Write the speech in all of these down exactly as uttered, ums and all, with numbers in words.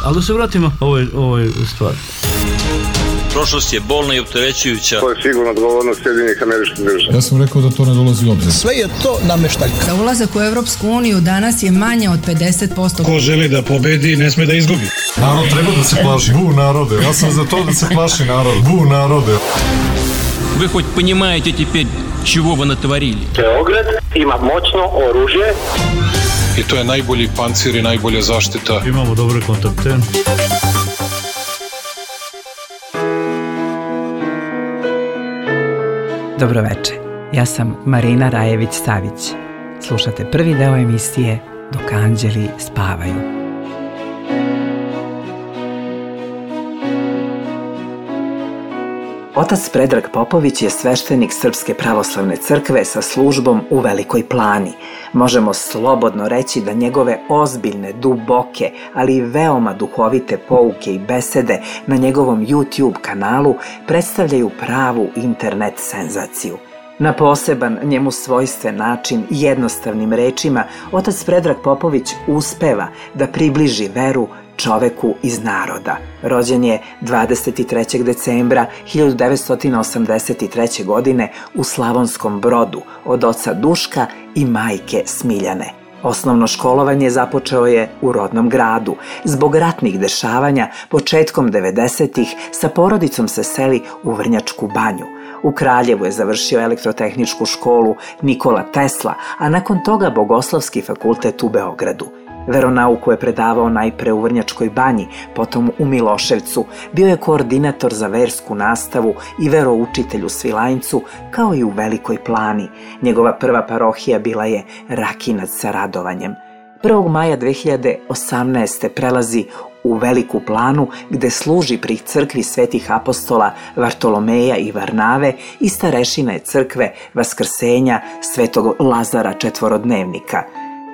Ali da se vratimo ovoj, ovoj stvari. Prošlost je bolna i opterećujuća. To je sigurno odgovornost Sjedinjenih Američkih Država. Ja sam rekao da to ne dolazi u obzir. Sve je to nameštaljka. Za ulazak u Evropsku uniju danas je manje od pedeset posto. Ko želi da pobedi, ne sme da izgubi. Narod treba da se plaši. Bu narode. Ja sam za to da se plaši narod. Bu narode. Вы хоть понимаете теперь, чего вы натворили? Beograd ima moćno oružje. I to je najbolji pancir i najbolja zaštita. Imamo dobre kontakte. Dobroveče, ja sam Marina Rajević-Savić. Slušate prvi deo emisije Dok anđeli spavaju. Otac Predrag Popović je sveštenik Srpske pravoslavne crkve sa službom u Velikoj Plani. Možemo slobodno reći da njegove ozbiljne, duboke, ali i veoma duhovite pouke i besede na njegovom YouTube kanalu predstavljaju pravu internet senzaciju. Na poseban, njemu svojstven način, jednostavnim rečima, otac Predrag Popović uspeva da približi veru čoveku iz naroda. Rođen je dvadeset trećeg decembra hiljadu devetsto osamdeset treće. godine u Slavonskom Brodu od oca Duška i majke Smiljane. Osnovno školovanje započeo je u rodnom gradu. Zbog ratnih dešavanja, početkom devedesetih sa porodicom se seli u Vrnjačku Banju. U Kraljevu je završio elektrotehničku školu Nikola Tesla, a nakon toga Bogoslovski fakultet u Beogradu. Veronauku je predavao najpre u Vrnjačkoj Banji, potom u Miloševcu, bio je koordinator za versku nastavu i veroučitelj u Svilajncu, kao i u Velikoj Plani. Njegova prva parohija bila je Rakinac sa radovanjem. prvog maja dve hiljade osamnaeste. prelazi u Veliku Planu, gde služi pri crkvi svetih apostola Vartolomeja i Varnave i starešina je crkve Vaskrsenja svetog Lazara Četvorodnevnika.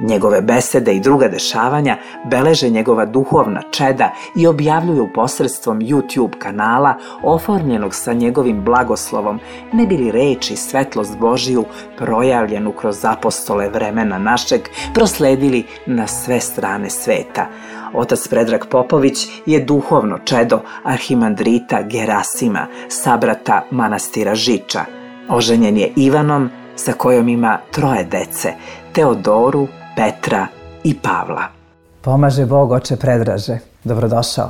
Njegove besede i druga dešavanja beleže njegova duhovna čeda i objavljuju posredstvom YouTube kanala oformljenog sa njegovim blagoslovom, ne bi li reč i svetlost Božiju projavljenu kroz apostole vremena našeg prosledili na sve strane sveta. Otac Predrag Popović je duhovno čedo arhimandrita Gerasima, sabrata manastira Žiča. Oženjen je Ivanom, sa kojom ima troje dece, Teodoru, Petra i Pavla. Pomaže Bog, oče Predraže. Dobrodošao.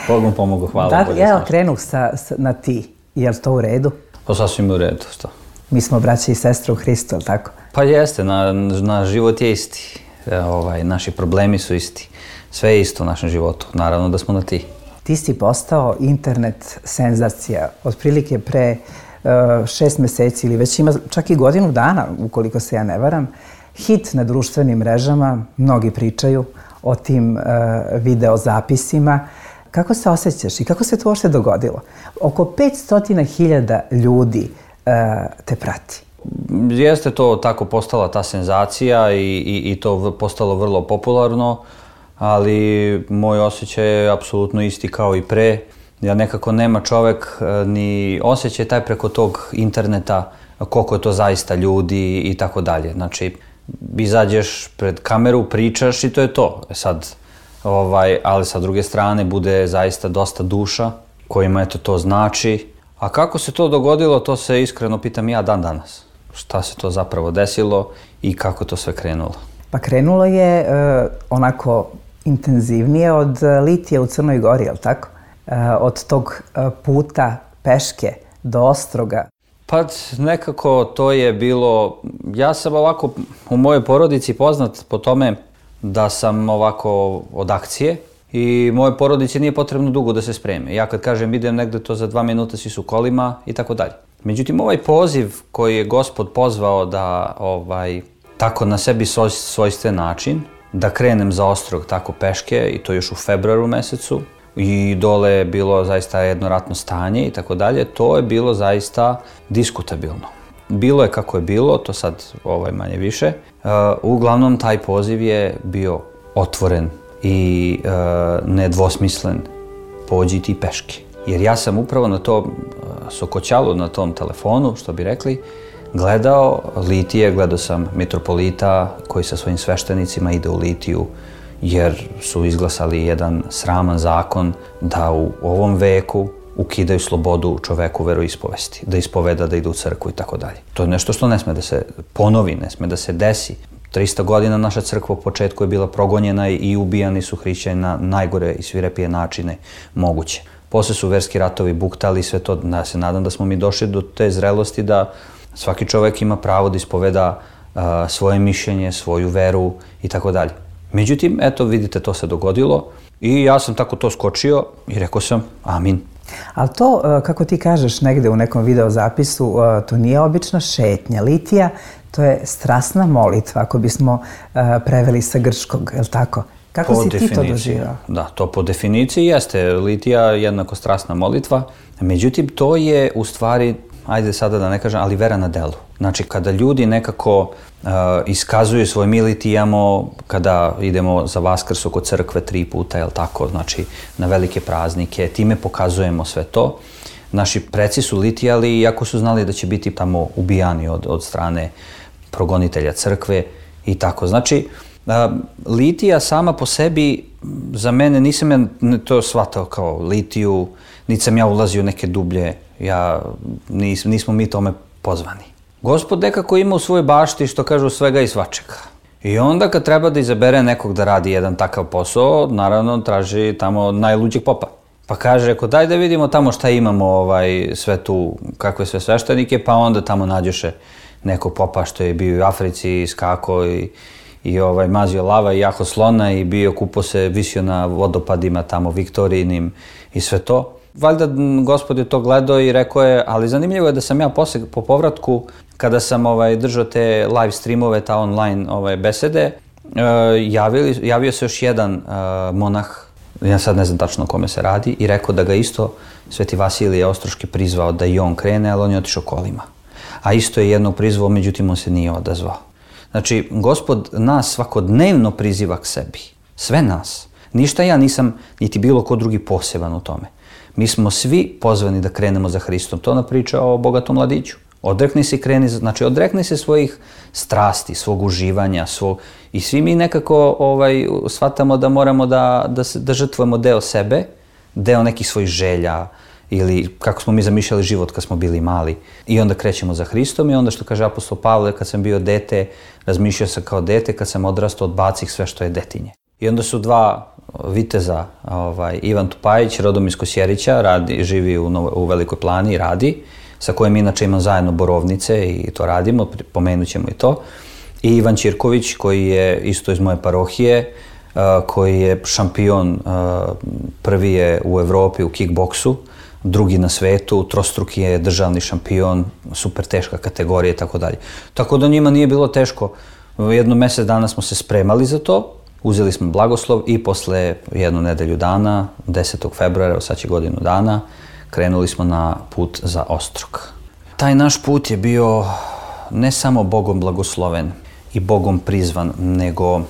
Bog vam pomogu, hvala. Da, ja okrenuh sa, sa, na ti. Je li to u redu? Pa sasvim u redu, što? Mi smo braće i sestre u Hristu, je li tako? Pa jeste, na, na život je isti. E, ovaj, naši problemi su isti. Sve je isto u našem životu. Naravno da smo na ti. Ti si postao internet senzacija. Otprilike pre uh, šest meseci ili već ima čak i godinu dana, ukoliko se ja ne varam. Hit na društvenim mrežama, mnogi pričaju o tim uh, videozapisima. Kako se osjećaš i kako se to uopšte dogodilo? Oko petsto hiljada ljudi uh, te prati. Jeste to tako postala ta senzacija i, i, i to postalo vrlo popularno, ali moj osjećaj je apsolutno isti kao i pre. Ja nekako nema čovek ni osjećaj taj preko tog interneta koliko je to zaista ljudi i tako dalje. Znači, izađeš pred kameru, pričaš i to je to. Sad, ovaj, ali sa druge strane bude zaista dosta duša kojima eto to znači. A kako se to dogodilo, to se iskreno pitam ja dan danas. Šta se to zapravo desilo i kako to sve krenulo? Pa krenulo je uh, onako intenzivnije od litije u Crnoj Gori, je li tako? Uh, od tog uh, puta peške do Ostroga. Pa nekako to je bilo, ja sam ovako u mojoj porodici poznat po tome da sam ovako od akcije i moje porodici nije potrebno dugo da se spreme. Ja kad kažem idem negde, to za dva minuta svi su kolima i tako dalje. Međutim, ovaj poziv koji je Gospod pozvao da ovaj, tako na sebi svoj, svojstven način, da krenem za Ostrog tako peške i to još u februaru mesecu, i dole je bilo zaista jedno ratno stanje i tako dalje, to je bilo zaista diskutabilno. Bilo je kako je bilo, to sad ovaj, manje više. Uh, uglavnom, taj poziv je bio otvoren i uh, nedvosmislen. Pođi ti peške. Jer ja sam upravo na to uh, sokoćalu, na tom telefonu, što bi rekli, gledao litije, gledao sam mitropolita koji sa svojim sveštenicima ide u litiju jer su izglasali jedan sraman zakon da u ovom veku ukidaju slobodu čoveku veroispovesti, da ispoveda, da ide u crkvu i tako dalje. To je nešto što ne sme da se ponovi, ne sme da se desi. trista godina naša crkva u početku je bila progonjena i ubijani su hrišćani na najgore i svirepije načine moguće. Posle su verski ratovi buktali i sve to. Ja se nadam da smo mi došli do te zrelosti da svaki čovek ima pravo da ispoveda uh, svoje mišljenje, svoju veru i tako dalje. Međutim, eto, vidite, to se dogodilo i ja sam tako to skočio i rekao sam amin. Ali to, kako ti kažeš negde u nekom videozapisu, to nije obična šetnja. Litija, to je strasna molitva, ako bismo preveli sa grčkog, je li tako? Kako si ti to doživao? Da, to po definiciji jeste. Litija jednako strasna molitva. Međutim, to je u stvari, ajde sada da ne kažem, ali vera na delu. Znači, kada ljudi nekako uh, iskazuju svoj mi litijamo, kada idemo za Vaskrs oko crkve tri puta, jel tako, znači na velike praznike, time pokazujemo sve to. Naši preci su litijali, iako su znali da će biti tamo ubijani od, od strane progonitelja crkve i tako. Znači, uh, litija sama po sebi, za mene, nisam ja to shvatao kao litiju, niti sam ja ulazio u neke dublje, ja, nis, nismo mi tome pozvani. Gospod nekako ima u svojoj bašti, što kažu, svega i svačega. I onda kad treba da izabere nekog da radi jedan takav posao, naravno traži tamo najluđeg popa. Pa kaže, ako daj da vidimo tamo šta imamo, ovaj, sve tu, kakve sve sveštenike, pa onda tamo nađoše nekog popa što je bio u Africi, skako i, i ovaj, mazio lava i jako slona i bio, kupo se, visio na vodopadima tamo Viktorijinim i sve to. Valjda Gospod je to gledao i rekao je, ali zanimljivo je da sam ja posle, po povratku, kada sam ovaj, držao te live streamove, ta online ovaj, besede, uh, javili, javio se još jedan uh, monah, ja sad ne znam tačno o kome se radi, i rekao da ga isto Sveti Vasilije Ostroški prizvao da i on krene, ali on je otišao kolima. A isto je jednog prizvao, međutim on se nije odazvao. Znači, Gospod nas svakodnevno priziva k sebi. Sve nas. Ništa ja nisam, niti bilo ko drugi poseban u tome. Mi smo svi pozvani da krenemo za Hristom. To ona priča o bogatom mladiću. Odrekni se i kreni, znači odrekni se svojih strasti, svog uživanja, svog... I svi mi nekako ovaj, shvatamo da moramo da, da, se, da žrtvujemo deo sebe, deo nekih svojih želja ili kako smo mi zamišljali život kad smo bili mali. I onda krećemo za Hristom i onda što kaže apostol Pavle, kad sam bio dete, razmišljao sam kao dete, kad sam odrastao odbacih sve što je detinje. I onda su dva viteza, ovaj, Ivan Tupajić, rodom iz Kosjerića, radi, živi u, Novo, u Velikoj Plani i radi, sa kojim inače imam zajedno borovnice i to radimo, pomenut ćemo i to. I Ivan Ćirković, koji je isto iz moje parohije, uh, koji je šampion, uh, prvi je u Evropi u kickboksu, drugi na svetu, trostruki je državni šampion, super teška kategorija i tako dalje. Tako da njima nije bilo teško. Jedno mjesec dana smo se spremali za to, uzeli smo blagoslov i posle jednu nedelju dana, desetog februara, sad će godinu dana, krenuli smo na put za Ostrog. Taj naš put je bio ne samo Bogom blagosloven i Bogom prizvan, nego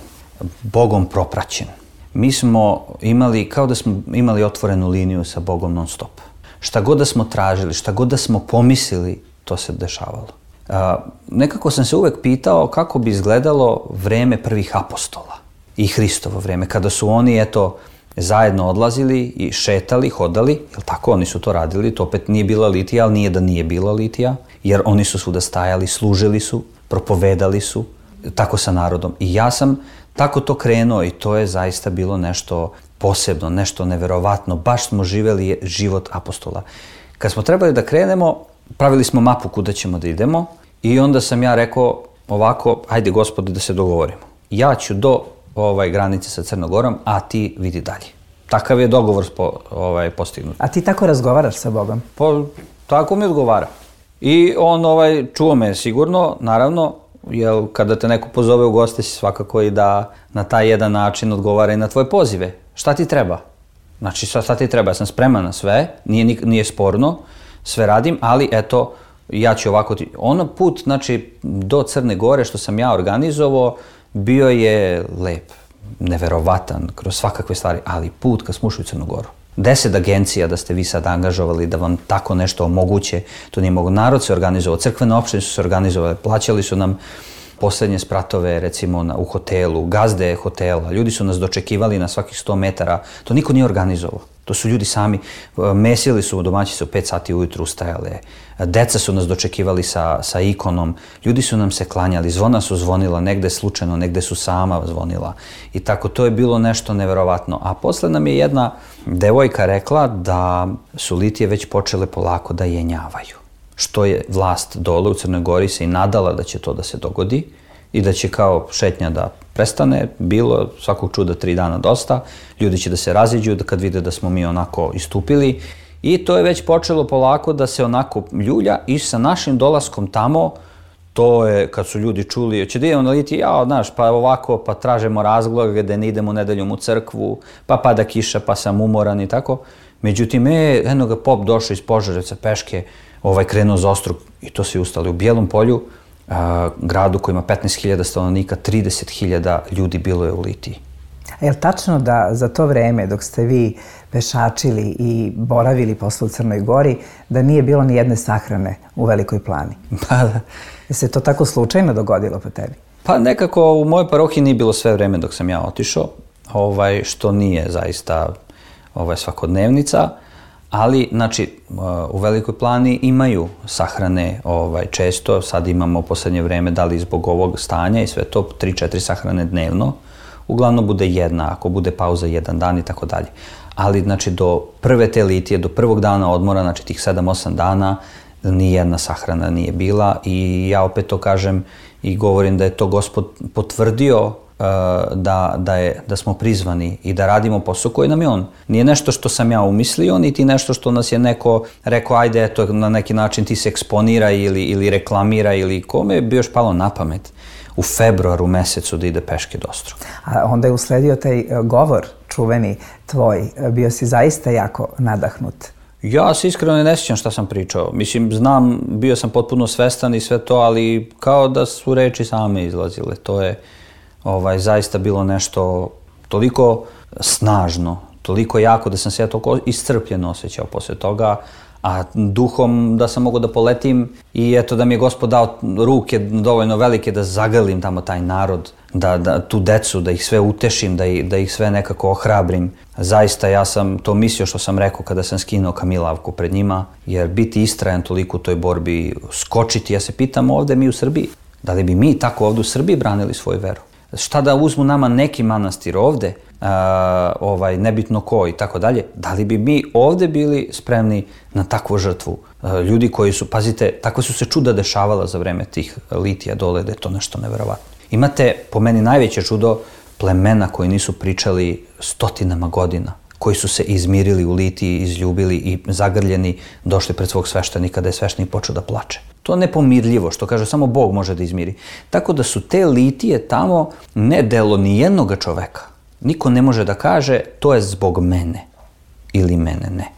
Bogom propraćen. Mi smo imali, kao da smo imali otvorenu liniju sa Bogom non stop. Šta god da smo tražili, šta god da smo pomislili, to se dešavalo. A, nekako sam se uvek pitao kako bi izgledalo vreme prvih apostola i Hristovo vreme, kada su oni, eto, zajedno odlazili i šetali, hodali, jel tako, oni su to radili, to opet nije bila litija, ali nije da nije bila litija, jer oni su svuda stajali, služili su, propovedali su, tako sa narodom. I ja sam tako to krenuo i to je zaista bilo nešto posebno, nešto neverovatno, baš smo živeli život apostola. Kad smo trebali da krenemo, pravili smo mapu kuda ćemo da idemo i onda sam ja rekao ovako, hajde Gospode da se dogovorimo. Ja ću do ovaj, granice sa Crnogorom, a ti vidi dalje. Takav je dogovor spo, ovaj, postignut. A ti tako razgovaraš sa Bogom? Pa, tako mi odgovara. I on ovaj, čuo me sigurno, naravno, jer kada te neko pozove u goste si svakako i da na taj jedan način odgovara i na tvoje pozive. Šta ti treba? Znači, šta ti treba? Ja sam spreman na sve, nije, nije sporno, sve radim, ali eto, ja ću ovako ti... Ono put, znači, do Crne Gore što sam ja organizovao, bio je lep, neverovatan, kroz svakakve stvari, ali put kad smo ušli u Crnu Goru. Deset agencija da ste vi sad angažovali da vam tako nešto omoguće, to nije mogu. Narod se organizovao, crkvene opštine su se organizovale, plaćali su nam posljednje spratove recimo na, u hotelu, gazde hotela, ljudi su nas dočekivali na svakih sto metara, to niko nije organizovao. To su ljudi sami, mesili su domaćice u pet sati ujutru ustajale, deca su nas dočekivali sa, sa ikonom, ljudi su nam se klanjali, zvona su zvonila, negde slučajno, negde su sama zvonila. I tako, to je bilo nešto neverovatno. A posle nam je jedna devojka rekla da su litije već počele polako da jenjavaju. Što je vlast dole u Crnoj Gori se i nadala da će to da se dogodi i da će kao šetnja da prestane, bilo svakog čuda tri dana dosta, ljudi će da se raziđu da kad vide da smo mi onako istupili i to je već počelo polako da se onako ljulja i sa našim dolaskom tamo, to je kad su ljudi čuli, će da idemo na litije, ja, znaš, pa ovako, pa tražemo razloge da ne idemo nedeljom u crkvu, pa pada kiša, pa sam umoran i tako. Međutim, e, eno ga pop došao iz Požarevca peške, ovaj krenuo za Ostrog i to se ustali u Bijelom Polju, a, gradu koji ima petnaest hiljada stanovnika, trideset hiljada ljudi bilo je u litiji. A je li tačno da za to vreme dok ste vi pešačili i boravili posle u Crnoj Gori, da nije bilo ni jedne sahrane u Velikoj Plani? Pa da. Je se to tako slučajno dogodilo po tebi? Pa nekako u mojoj parohiji nije bilo sve vreme dok sam ja otišao, ovaj, što nije zaista ovaj, svakodnevnica. Ali, znači, u Velikoj Plani imaju sahrane ovaj, često, sad imamo u poslednje vreme, da li zbog ovog stanja i sve to, tri četiri sahrane dnevno. Uglavnom bude jedna, ako bude pauza jedan dan i tako dalje. Ali, znači, do prve te litije, do prvog dana odmora, znači tih sedam osam dana, ni jedna sahrana nije bila i ja opet to kažem i govorim da je to Gospod potvrdio Da, da, je, da smo prizvani i da radimo posao koji nam je on. Nije nešto što sam ja umislio, niti nešto što nas je neko rekao, ajde, eto, na neki način ti se eksponira ili, ili reklamira ili kome bi još palo na pamet u februaru mesecu da ide peške do Ostrога. A onda je usledio taj govor čuveni tvoj, bio si zaista jako nadahnut. Ja se iskreno ne sjećam šta sam pričao. Mislim, znam, bio sam potpuno svestan i sve to, ali kao da su reči same izlazile. To je Ovaj, zaista bilo nešto toliko snažno, toliko jako da sam se ja toliko iscrpljeno osjećao posle toga, a duhom da sam mogao da poletim i eto da mi je Gospod dao ruke dovoljno velike da zagrlim tamo taj narod, da, da tu decu, da ih sve utešim, da ih, da ih sve nekako ohrabrim. Zaista ja sam to mislio što sam rekao kada sam skinuo kamilavku pred njima, jer biti istrajan toliko u toj borbi, skočiti, ja se pitam ovde mi u Srbiji, da li bi mi tako ovde u Srbiji branili svoju veru? Šta da uzmu nama neki manastir ovde, a, ovaj, nebitno ko i tako dalje, da li bi mi ovde bili spremni na takvu žrtvu? A, ljudi koji su, pazite, takve su se čuda dešavala za vreme tih litija dole, da je to nešto neverovatno. Imate, po meni, najveće čudo plemena koji nisu pričali stotinama godina, koji su se izmirili u litiji, izljubili i zagrljeni, došli pred svog sveštenika da je sveštenik počeo da plače. To je nepomirljivo, što kaže, samo Bog može da izmiri. Tako da su te litije tamo ne delo ni jednoga čoveka. Niko ne može da kaže to je zbog mene ili mene, ne.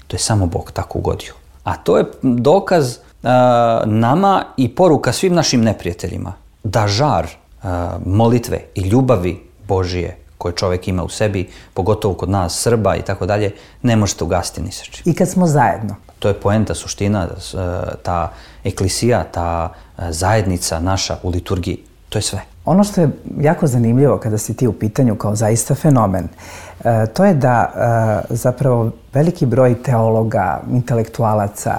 To je samo Bog tako ugodio. A to je dokaz a, nama i poruka svim našim neprijateljima da žar a, molitve i ljubavi Božije koje čovjek ima u sebi, pogotovo kod nas Srba i tako dalje, ne možete ugasiti ni sa čim. I kad smo zajedno. To je poenta, suština, ta eklisija, ta zajednica naša u liturgiji, to je sve. Ono što je jako zanimljivo kada si ti u pitanju kao zaista fenomen, to je da zapravo veliki broj teologa, intelektualaca,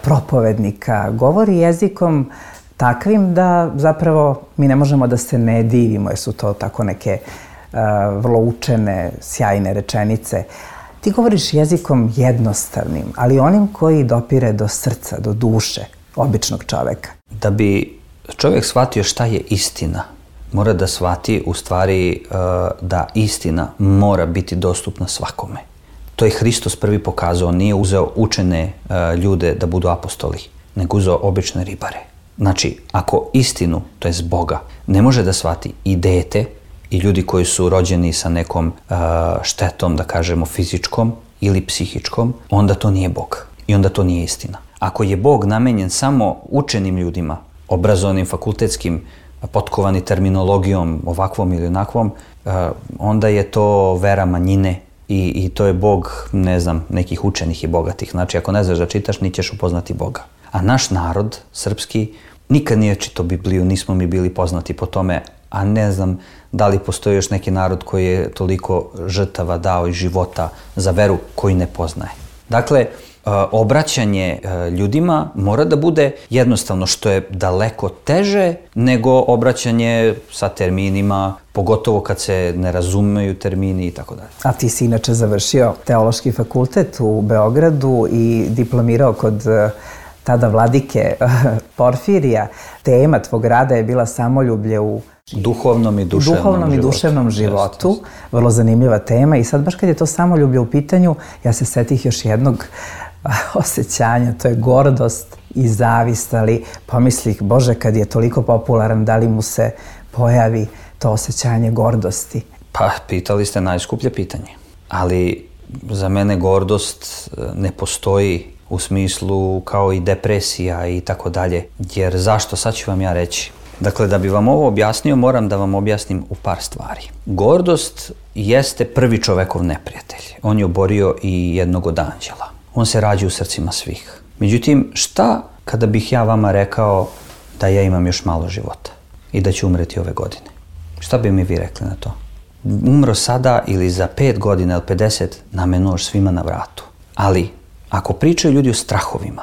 propovednika govori jezikom takvim da zapravo mi ne možemo da se ne divimo jer su to tako neke vrlo učene, sjajne rečenice. Ti govoriš jezikom jednostavnim, ali onim koji dopire do srca, do duše običnog čoveka. Da bi čovjek shvatio šta je istina, mora da shvati u stvari da istina mora biti dostupna svakome. To je Hristos prvi pokazao, nije uzeo učene ljude da budu apostoli, nego uzeo obične ribare. Znači, ako istinu, to jest Boga, ne može da shvati i dete, i ljudi koji su rođeni sa nekom uh, štetom, da kažemo, fizičkom ili psihičkom, onda to nije Bog. I onda to nije istina. Ako je Bog namenjen samo učenim ljudima, obrazovanim, fakultetskim, potkovani terminologijom ovakvom ili onakvom, uh, onda je to vera manjine i, i to je Bog, ne znam, nekih učenih i bogatih. Znači, ako ne znaš da čitaš, ni ćeš upoznati Boga. A naš narod, srpski, Nikad nije čitao Bibliju, nismo mi bili poznati po tome, a ne znam da li postoji još neki narod koji je toliko žrtava dao i života za veru koji ne poznaje. Dakle, obraćanje ljudima mora da bude jednostavno, što je daleko teže nego obraćanje sa terminima, pogotovo kad se ne razumeju termini i tako dalje. A ti si inače završio teološki fakultet u Beogradu i diplomirao kod tada vladike Porfirija. Tema tvog rada je bila samoljublje u duhovnom i duševnom, duhovnom i duševnom životu. životu. Vrlo zanimljiva tema i sad baš kad je to samoljublje u pitanju, ja se setih još jednog osjećanja, to je gordost i zavist, ali pomislih, Bože, kad je toliko popularan, da li mu se pojavi to osjećanje gordosti? Pa, pitali ste najskuplje pitanje. Ali za mene gordost ne postoji u smislu kao i depresija i tako dalje. Jer zašto? Sad ću vam ja reći. Dakle, da bi vam ovo objasnio, moram da vam objasnim u par stvari. Gordost jeste prvi čovekov neprijatelj. On je oborio i jednog od anđela. On se rađa u srcima svih. Međutim, šta kada bih ja vama rekao da ja imam još malo života i da ću umreti ove godine? Šta bi mi vi rekli na to? Umro sada ili za pet godina ili pedeset, nam je nož svima na vratu. Ali, ako pričaju ljudi o strahovima,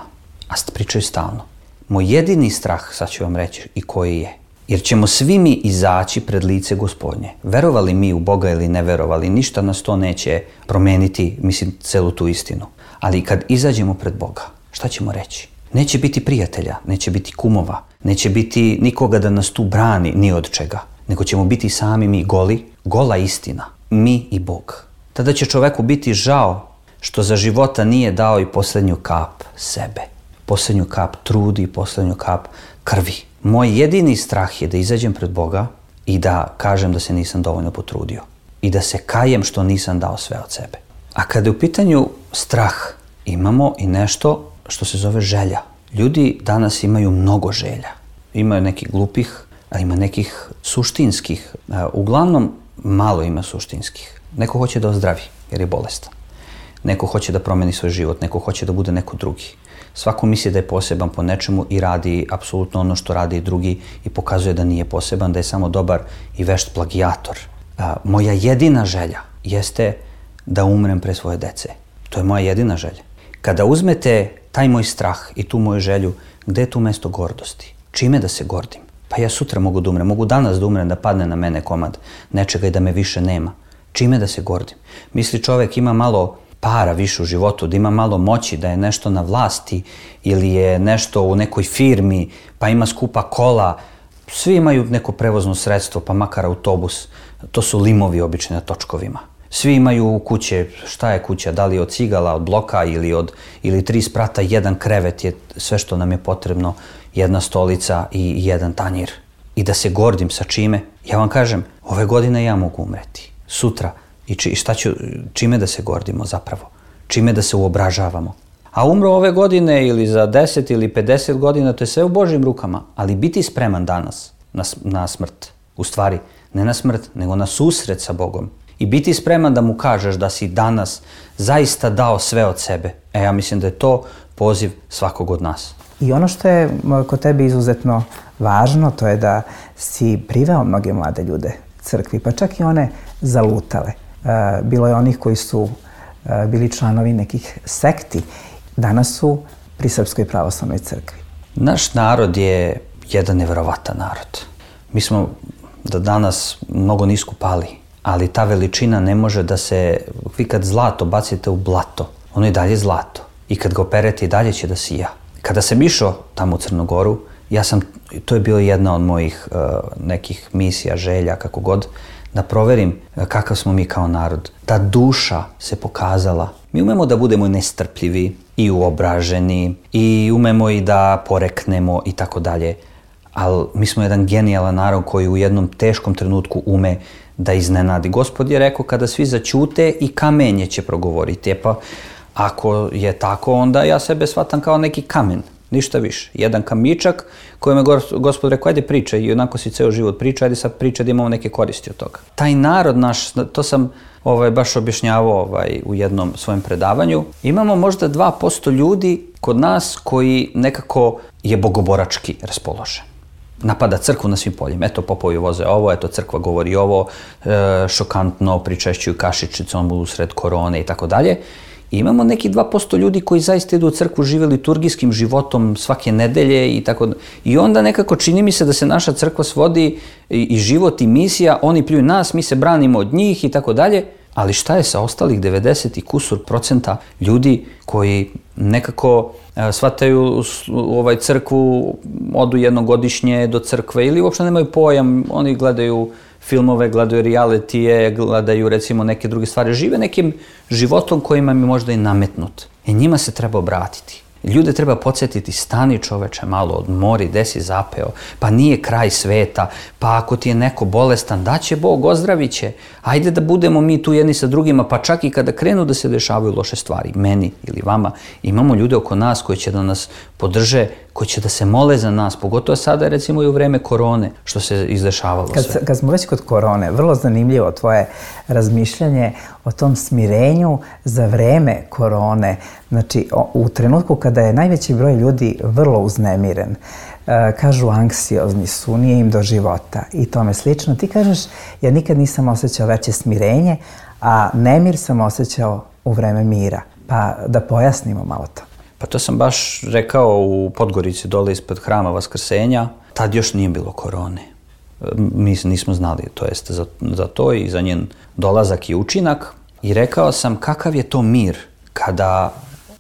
a pričaju stalno, moj jedini strah, sad ću vam reći i koji je, jer ćemo svi mi izaći pred lice Gospodnje. Verovali mi u Boga ili ne verovali, ništa nas to neće promeniti, mislim, celu tu istinu. Ali kad izađemo pred Boga, šta ćemo reći? Neće biti prijatelja, neće biti kumova, neće biti nikoga da nas tu brani ni od čega, nego ćemo biti sami mi goli, gola istina, mi i Bog. Tada će čoveku biti žao što za života nije dao i posljednju kap sebe, posljednju kap trudi i posljednju kap krvi. Moj jedini strah je da izađem pred Boga i da kažem da se nisam dovoljno potrudio i da se kajem što nisam dao sve od sebe. A kada je u pitanju strah, imamo i nešto što se zove želja. Ljudi danas imaju mnogo želja. Imaju nekih glupih, a ima nekih suštinskih. Uglavnom, malo ima suštinskih. Neko hoće da ozdravi jer je bolestan. Neko hoće da promeni svoj život, neko hoće da bude neko drugi. Svako misli da je poseban po nečemu i radi apsolutno ono što radi i drugi i pokazuje da nije poseban, da je samo dobar i vešt plagijator. Moja jedina želja jeste da umrem pre svoje dece. To je moja jedina želja. Kada uzmete taj moj strah i tu moju želju, gde je tu mesto gordosti? Čime da se gordim? Pa ja sutra mogu da umrem, mogu danas da umrem, da padne na mene komad nečega i da me više nema. Čime da se gordim? Misli čovek ima malo para više u životu, da ima malo moći, da je nešto na vlasti ili je nešto u nekoj firmi, pa ima skupa kola. Svi imaju neko prevozno sredstvo, pa makar autobus. To su limovi obično na točkovima. Svi imaju kuće, šta je kuća, da li od cigala, od bloka ili od ili tri sprata, jedan krevet je sve što nam je potrebno, jedna stolica i jedan tanjir. I da se gordim sa čime? Ja vam kažem, ove godine ja mogu umreti. Sutra. I či, šta ću, čime da se gordimo zapravo? Čime da se uobražavamo? A umro ove godine ili za deset ili pedeset godina, to je sve u Božjim rukama. Ali biti spreman danas na, na smrt, u stvari ne na smrt, nego na susret sa Bogom. I biti spreman da mu kažeš da si danas zaista dao sve od sebe. E, ja mislim da je to poziv svakog od nas. I ono što je kod tebe izuzetno važno, to je da si priveo mnoge mlade ljude crkvi, pa čak i one zalutale. Bilo je onih koji su bili članovi nekih sekti. Danas su pri Srpskoj pravoslavnoj crkvi. Naš narod je jedan neverovatan narod. Mi smo da danas mnogo nisko pali, ali ta veličina ne može da se... Vi kad zlato bacite u blato, ono je dalje zlato. I kad ga operete i dalje će da sija. Kada sam išao tamo u Crnogoru, ja sam, to je bila jedna od mojih uh, nekih misija, želja, kako god, da proverim kakav smo mi kao narod. Ta duša se pokazala. Mi umemo da budemo nestrpljivi i uobraženi i umemo i da poreknemo i tako dalje. Ali mi smo jedan genijalan narod koji u jednom teškom trenutku ume da iznenadi. Gospod je rekao kada svi zaćute i kamenje će progovoriti. E pa ako je tako, onda ja sebe shvatam kao neki kamen. Ništa više. Jedan kamičak kojem je Gospod rekao, ajde pričaj, i onako si ceo život priča, ajde sad pričaj da imamo neke koristi od toga. Taj narod naš, to sam ovaj, baš objašnjavao ovaj, u jednom svojem predavanju, imamo možda dva posto ljudi kod nas koji nekako je bogoborački raspoložen. Napada crkvu na svim poljima. Eto, popovi voze ovo, eto, crkva govori ovo, e, šokantno pričešćuju kašičicom u sred korone i tako dalje. I imamo neki dva posto ljudi koji zaista idu u crkvu, žive liturgijskim životom svake nedelje i tako. I onda nekako čini mi se da se naša crkva svodi i, i život i misija, oni pljuju nas, mi se branimo od njih i tako dalje. Ali šta je sa ostalih devedeset i kusur procenta ljudi koji nekako e, shvataju ovaj crkvu, odu jednogodišnje do crkve ili uopšte nemaju pojam, oni gledaju filmove, gledaju realitije, gledaju recimo neke druge stvari, žive nekim životom kojima mi možda i nametnut. I njima se treba obratiti. Ljude treba podsjetiti, stani čoveče malo, odmori, gde si zapeo, pa nije kraj sveta, pa ako ti je neko bolestan, daće Bog, ozdravit će. Ajde da budemo mi tu jedni sa drugima, pa čak i kada krenu da se dešavaju loše stvari, meni ili vama, imamo ljude oko nas koji će da nas podrže, koji će da se mole za nas, pogotovo sada recimo i u vreme korone, što se izdešavalo kad, sve. Kad smo već kod korone, vrlo zanimljivo tvoje razmišljanje o tom smirenju za vreme korone. Znači, u trenutku kada je najveći broj ljudi vrlo uznemiren, kažu anksiozni su, nije im do života i tome slično. Ti kažeš, ja nikad nisam osjećao veće smirenje, a nemir sam osjećao u vreme mira. Pa da pojasnimo malo to. Pa to sam baš rekao u Podgorici, dole ispred Hrama Vaskrsenja. Tad još nije bilo korone. Mi nismo znali, to jest za, za to i za njen dolazak i učinak. I rekao sam kakav je to mir kada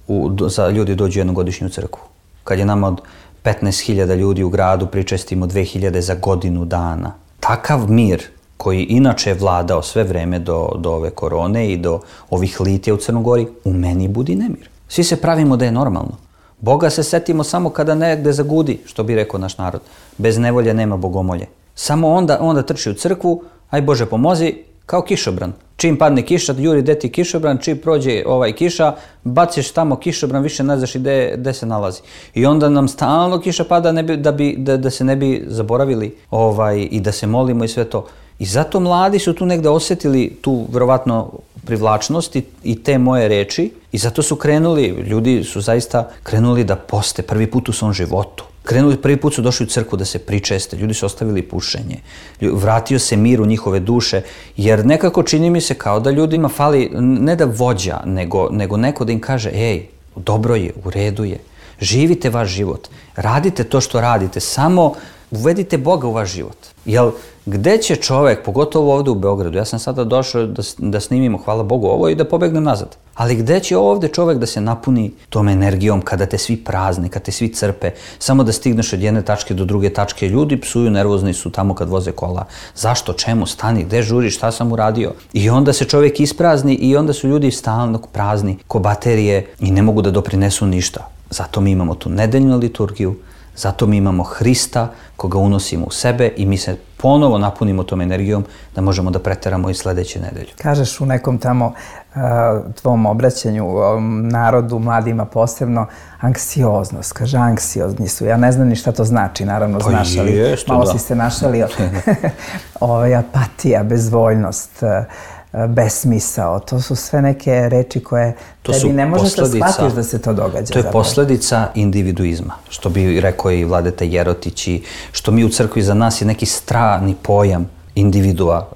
u, za ljudi dođu jednogodišnju crkvu. Kad je nama od petnaest hiljada ljudi u gradu pričestimo dve hiljade za godinu dana. Takav mir koji inače je vladao sve vreme do, do ove korone i do ovih litija u Crnogori, u meni budi nemir. Svi se pravimo da je normalno. Boga se setimo samo kada negde zagudi, što bi rekao naš narod. Bez nevolje nema bogomolje. Samo onda, onda trči u crkvu, aj Bože pomozi, kao kišobran. Čim padne kiša, juri deti kišobran, čim prođe ovaj kiša, baciš tamo kišobran, više ne znaš i gde se nalazi. I onda nam stalno kiša pada ne bi, da, bi, da, da se ne bi zaboravili ovaj, i da se molimo i sve to. I zato mladi su tu negde osjetili tu verovatno privlačnost i, i te moje reči i zato su krenuli, ljudi su zaista krenuli da poste prvi put u svom životu. Krenuli, prvi put su došli u crkvu da se pričeste, ljudi su ostavili pušenje, vratio se mir u njihove duše, jer nekako čini mi se kao da ljudima fali ne da vođa, nego, nego neko da im kaže, ej, dobro je, u redu je, živite vaš život, radite to što radite, samo uvedite Boga u vaš život. Jel, gde će čovek, pogotovo ovde u Beogradu, ja sam sada došao da, da snimimo, hvala Bogu, ovo i da pobegnem nazad, ali gde će ovde čovek da se napuni tom energijom kada te svi prazne, kada te svi crpe, samo da stigneš od jedne tačke do druge tačke, ljudi psuju, nervozni su tamo kad voze kola, zašto, čemu, stani, gde žuriš, šta sam uradio? I onda se čovek isprazni i onda su ljudi stalno prazni, ko baterije i ne mogu da doprinesu ništa. Zato mi imamo tu nedeljnu liturgiju, zato mi imamo Hrista koga unosimo u sebe i mi se ponovo napunimo tom energijom da možemo da preteramo i sledeće nedelje. Kažeš u nekom tamo uh, tvom obraćanju um, narodu, mladima posebno, anksioznost. Kaže, anksiozni su. Ja ne znam ni šta to znači, naravno pa znaš, ali jest, malo da. si se našalio. Ovaj, apatija, bezvoljnost, besmisao, to su sve neke reči koje to tebi ne možeš da shvatiš da se to događa. To je zapravo posledica individuizma, što bi rekao i Vladeta Jerotić, i što mi u crkvi za nas je neki strani pojam individua.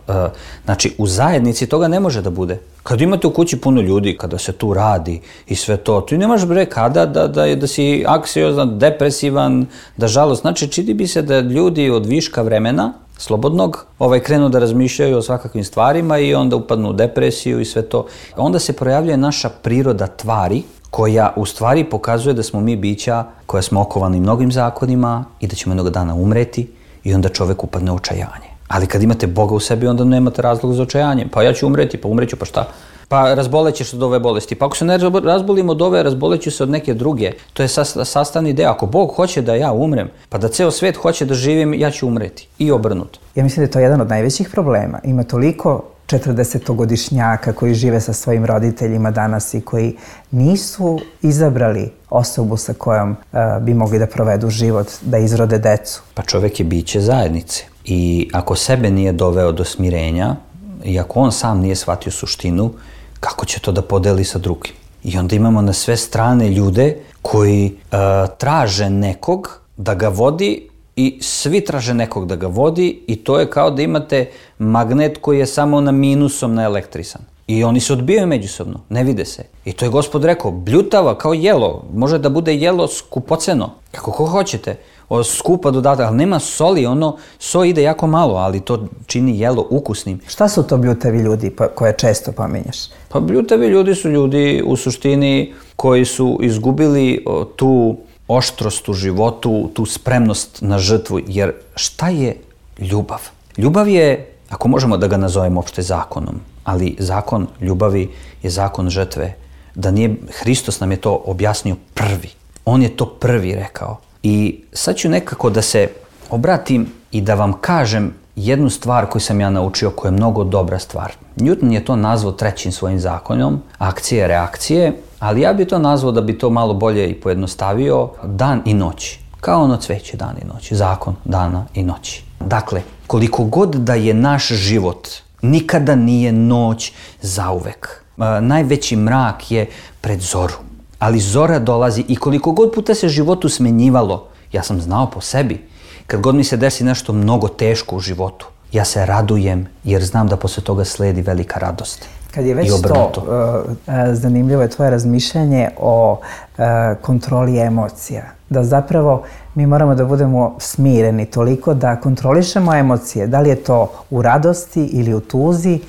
Znači, u zajednici toga ne može da bude. Kad imate u kući puno ljudi, kada se tu radi i sve to, tu ne možeš bre kada da, da, da si anksiozan, depresivan, da žalost. Znači, čini bi se da ljudi od viška vremena slobodnog, ovaj, krenu da razmišljaju o svakakvim stvarima i onda upadnu u depresiju i sve to. Onda se projavljuje naša priroda tvari, koja u stvari pokazuje da smo mi bića koja smo okovani mnogim zakonima i da ćemo jednog dana umreti i onda čovek upadne u očajanje. Ali kad imate Boga u sebi, onda nemate razlog za očajanje. Pa ja ću umreti, pa umreću, pa šta? Pa razbolećeš od ove bolesti. Pa ako se ne razbolim od ove, razboleću se od neke druge. To je sastavni deo. Ako Bog hoće da ja umrem, pa da ceo svet hoće da živim, ja ću umreti. I obrnuto. Ja mislim da je to jedan od najvećih problema. Ima toliko četrdesetogodišnjaka koji žive sa svojim roditeljima danas i koji nisu izabrali osobu sa kojom uh, bi mogli da provedu život, da izrode decu. Pa čovjek je biće zajednice i ako sebe nije doveo do smirenja i ako on sam nije shvatio suštinu, kako će to da podeli sa drugim? I onda imamo na sve strane ljude koji uh, traže nekog da ga vodi i svi traže nekog da ga vodi i to je kao da imate magnet koji je samo na minusom naelektrisan. I oni se odbijaju međusobno, ne vide se. I to je Gospod rekao, bljutava kao jelo, može da bude jelo skupoceno, kako ko hoćete, o, skupa dodatak, ali nema soli, ono, so ide jako malo, ali to čini jelo ukusnim. Šta su to bljutavi ljudi pa, koje često pominješ? Pa bljutavi ljudi su ljudi u suštini koji su izgubili o, tu oštrost u životu, tu spremnost na žrtvu, jer šta je ljubav? Ljubav je, ako možemo da ga nazovemo opšte zakonom, ali zakon ljubavi je zakon žrtve. Da nije, Hristos nam je to objasnio prvi. On je to prvi rekao. I sad ću nekako da se obratim i da vam kažem jednu stvar koju sam ja naučio, koja je mnogo dobra stvar. Newton je to nazvao trećim svojim zakonom, akcije, reakcije, ali ja bi to nazvao, da bi to malo bolje i pojednostavio, dan i noć. Kao ono cveće, dan i noć. Zakon dana i noći. Dakle, koliko god da je naš život, nikada nije noć zauvek. E, najveći mrak je pred zoru. Ali zora dolazi i koliko god puta se životu smenjivalo, ja sam znao po sebi, kad god mi se desi nešto mnogo teško u životu, ja se radujem jer znam da posle toga sledi velika radost. Kad je već to, uh, zanimljivo je tvoje razmišljanje o uh, kontroli emocija. Da zapravo mi moramo da budemo smireni toliko da kontrolišemo emocije. Da li je to u radosti ili u tuzi,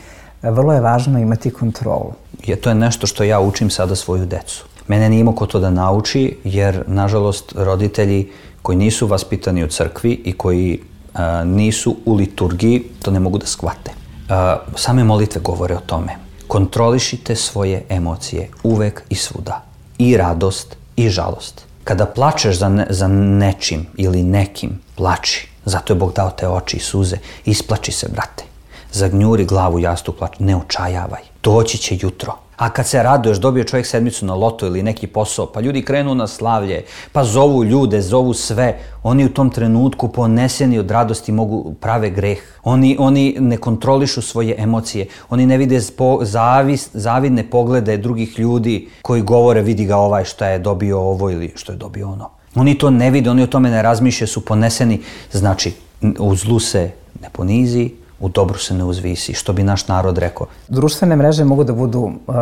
vrlo je važno imati kontrolu. Je, to je nešto što ja učim sada svoju decu. Mene nije imao ko to da nauči, jer, nažalost, roditelji koji nisu vaspitani u crkvi i koji uh, nisu u liturgiji, to ne mogu da shvate. Uh, same molitve govore o tome. Kontrolišite svoje emocije uvek i svuda. I radost i žalost. Kada plačeš za, ne, za nečim ili nekim, plači. Zato je Bog dao te oči i suze. Isplači se, brate. Zagnjuri glavu jastu, plači. Ne očajavaj. Doći će jutro. A kad se raduješ, dobije čovjek sedmicu na loto ili neki posao, pa ljudi krenu na slavlje, pa zovu ljude, zovu sve. Oni u tom trenutku poneseni od radosti mogu prave greh. Oni, oni ne kontrolišu svoje emocije. Oni ne vide spo, zavis, zavidne poglede drugih ljudi koji govore vidi ga ovaj šta je dobio ovo ili što je dobio ono. Oni to ne vide, oni o tome ne razmišljaju, su poneseni. Znači, u zlu se ne ponizi, u dobru se ne uzvisi, što bi naš narod rekao. Društvene mreže mogu da budu uh,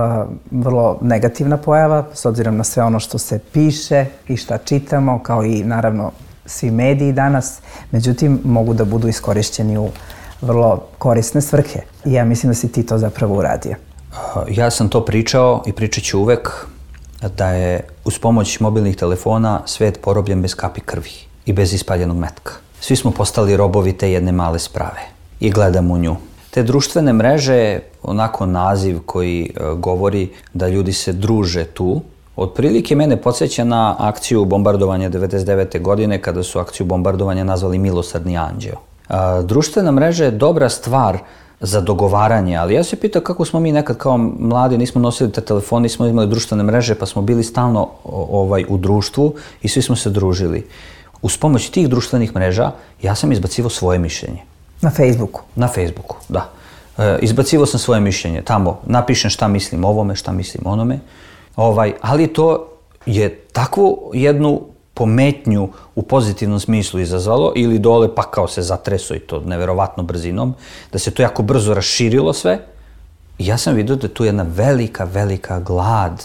vrlo negativna pojava, s obzirom na sve ono što se piše i šta čitamo, kao i naravno svi mediji danas. Međutim, mogu da budu iskorišćeni u vrlo korisne svrhe. I ja mislim da si ti to zapravo uradio. Uh, ja sam to pričao i pričat ću uvek da je uz pomoć mobilnih telefona svet porobljen bez kapi krvi i bez ispaljenog metka. Svi smo postali robovi te jedne male sprave. I gledam u nju. Te društvene mreže, onako naziv koji e, govori da ljudi se druže tu, otprilike mene podsjeća na akciju bombardovanja devedeset devete godine, kada su akciju bombardovanja nazvali Milosrdni anđeo. E, društvena mreža je dobra stvar za dogovaranje, ali ja se pitam kako smo mi nekad kao mladi, nismo nosili te telefon, nismo imali društvene mreže, pa smo bili stalno ovaj, u društvu i svi smo se družili. Uz pomoć tih društvenih mreža ja sam izbacivao svoje mišljenje. Na Facebooku? Na Facebooku, da. E, izbacivao sam svoje mišljenje. Tamo napišem šta mislim o ovome, šta mislim o onome. Ovaj, ali to je takvu jednu pometnju u pozitivnom smislu izazvalo ili dole pa kao se zatreso i to neverovatno brzinom, da se to jako brzo raširilo sve. I ja sam vidio da je tu jedna velika, velika glad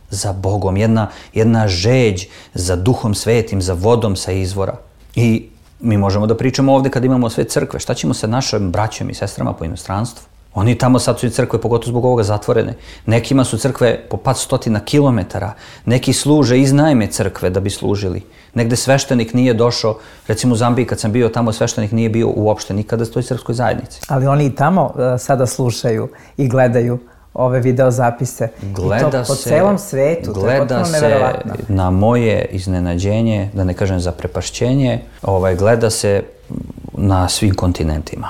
za Bogom, jedna, jedna žeđ za Duhom Svetim, za vodom sa izvora. I mi možemo da pričamo ovde kad imamo sve crkve. Šta ćemo sa našim braćom i sestrama po inostranstvu? Oni tamo sad su i crkve, pogotovo zbog ovoga, zatvorene. Nekima su crkve po par stotina kilometara. Neki služe iz najme crkve da bi služili. Negde sveštenik nije došao, recimo u Zambiji kad sam bio tamo, sveštenik nije bio uopšte nikada u toj srpskoj zajednici. Ali oni i tamo uh, sada slušaju i gledaju ove video zapise. Gleda I to po se, celom svetu, to je potpuno neverovatno. Gleda se na moje iznenađenje, da ne kažem zaprepašćenje, ovaj, gleda se na svim kontinentima.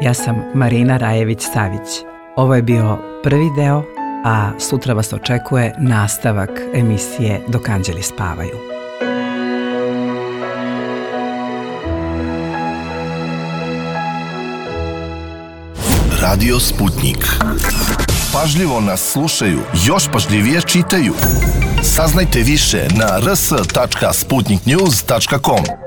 Ja sam Marina Rajević-Savić. Ovo je bio prvi deo, a sutra vas očekuje nastavak emisije Dok anđeli spavaju. Radio Sputnik. Pažljivo nas slušaju, još pažljivije čitaju. Saznajte više na r s tačka sputnik news tačka com.